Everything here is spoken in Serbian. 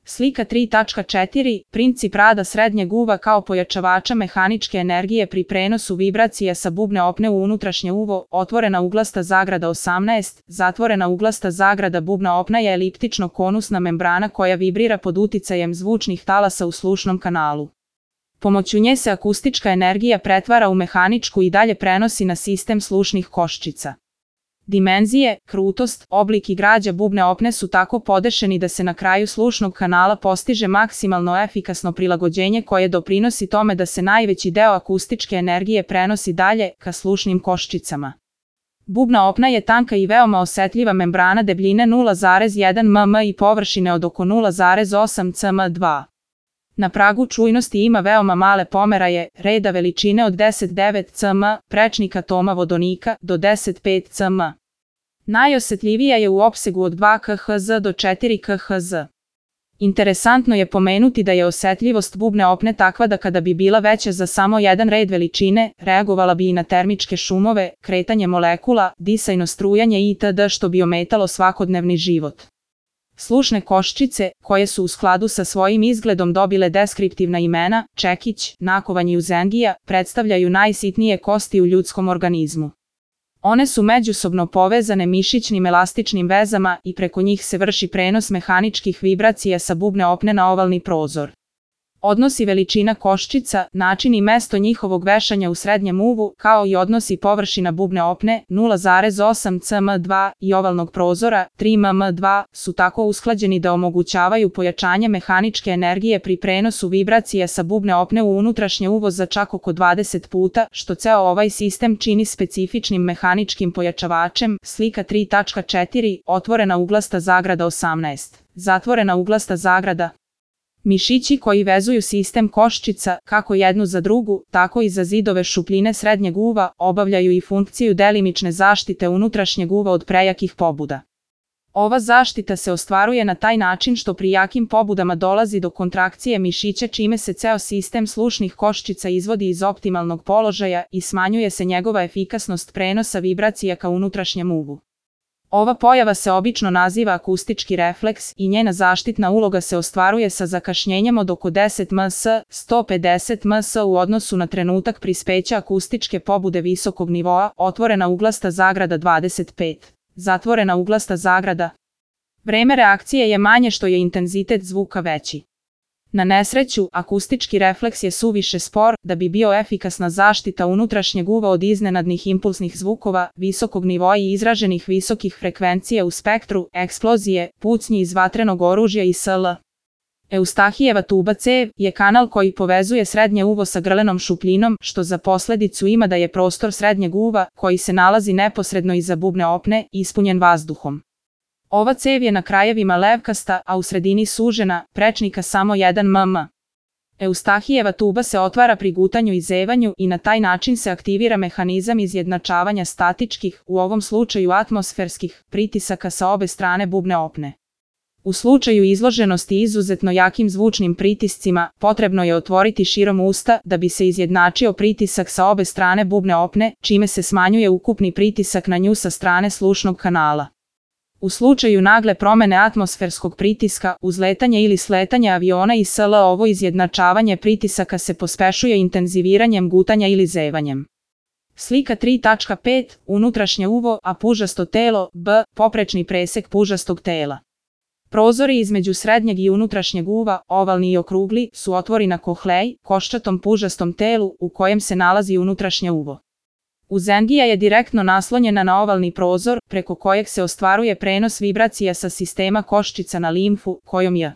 Slika 3.4. Princip rada srednjeg uva kao pojačavača mehaničke energije pri prenosu vibracija sa bubne opne u unutrašnje uvo, otvorena uglasta zagrada 18, zatvorena uglasta zagrada. Bubna opna je eliptično-konusna membrana koja vibrira pod uticajem zvučnih talasa u slušnom kanalu. Pomoću nje se akustička energija pretvara u mehaničku i dalje prenosi na sistem slušnih koščica. Dimenzije, krutost, oblik i građa bubne opne su tako podešeni da se na kraju slušnog kanala postiže maksimalno efikasno prilagođenje koje doprinosi tome da se najveći deo akustičke energije prenosi dalje ka slušnim koščicama. Bubna opna je tanka i veoma osetljiva membrana debljine 0,1 mm i površine od oko 0,8 cm2. Na pragu čujnosti ima veoma male pomeraje, reda veličine od 10,9 cm, prečnika toma vodonika do 10,5 cm. Najosetljivija je u opsegu od 2 kHz do 4 kHz. Interesantno je pomenuti da je osetljivost bubne opne takva da kada bi bila veća za samo jedan red veličine, reagovala bi i na termičke šumove, kretanje molekula, disajno strujanje itd. Što bi ometalo svakodnevni život. Slušne koščice, koje su u skladu sa svojim izgledom dobile deskriptivna imena, čekić, nakovanj i uzengija, predstavljaju najsitnije kosti u ljudskom organizmu. One su međusobno povezane mišićnim elastičnim vezama i preko njih se vrši prenos mehaničkih vibracija sa bubne opne na ovalni prozor. Odnosi veličina koščica, način i mesto njihovog vešanja u srednjem uvu, kao i odnosi površina bubne opne 0,8 cm2 i ovalnog prozora 3 mm2 su tako usklađeni da omogućavaju pojačanje mehaničke energije pri prenosu vibracija sa bubne opne u unutrašnje uvo za čak oko 20 puta, što ceo ovaj sistem čini specifičnim mehaničkim pojačavačem. Slika 3.4. Otvorena uglasta zagrada 18. Zatvorena uglasta zagrada. Mišići koji vezuju sistem koščica, kako jednu za drugu, tako i za zidove šupljine srednjeg uva, obavljaju i funkciju delimične zaštite unutrašnjeg uva od prejakih pobuda. Ova zaštita se ostvaruje na taj način što pri jakim pobudama dolazi do kontrakcije mišića čime se ceo sistem slušnih koščica izvodi iz optimalnog položaja i smanjuje se njegova efikasnost prenosa vibracija ka unutrašnjem uvu. Ova pojava se obično naziva akustički refleks i njena zaštitna uloga se ostvaruje sa zakašnjenjem od oko 10 ms, 150 ms u odnosu na trenutak prispeća akustičke pobude visokog nivoa, otvorena uglasta zagrada 25. Zatvorena uglasta zagrada. Vreme reakcije je manje što je intenzitet zvuka veći. Na nesreću, akustički refleks je suviše spor da bi bio efikasna zaštita unutrašnjeg uva od iznenadnih impulsnih zvukova, visokog nivoa i izraženih visokih frekvencija u spektru, eksplozije, pucnji iz vatrenog oružja i sl. Eustahijeva tuba cev je kanal koji povezuje srednje uvo sa grlenom šupljinom, što za posledicu ima da je prostor srednjeg uva, koji se nalazi neposredno iza bubne opne, ispunjen vazduhom. Ova cev je na krajevima levkasta, a u sredini sužena, prečnika samo 1 mm. Eustahijeva tuba se otvara pri gutanju i zevanju i na taj način se aktivira mehanizam izjednačavanja statičkih, u ovom slučaju atmosferskih, pritisaka sa obe strane bubne opne. U slučaju izloženosti izuzetno jakim zvučnim pritiscima, potrebno je otvoriti širom usta da bi se izjednačio pritisak sa obe strane bubne opne, čime se smanjuje ukupni pritisak na nju sa strane slušnog kanala. U slučaju nagle promene atmosferskog pritiska, uzletanje ili sletanje aviona i sl. Ovo izjednačavanje pritisaka se pospešuje intenziviranjem gutanja ili zevanjem. Slika 3.5. Unutrašnje uvo, a pužasto telo, b. Poprečni presek pužastog tela. Prozori između srednjeg i unutrašnjeg uva, ovalni i okrugli, su otvori na kohlej, koščatom pužastom telu, u kojem se nalazi unutrašnje uvo. Uzengija je direktno naslonjena na ovalni prozor, preko kojeg se ostvaruje prenos vibracija sa sistema koščica na limfu, kojom je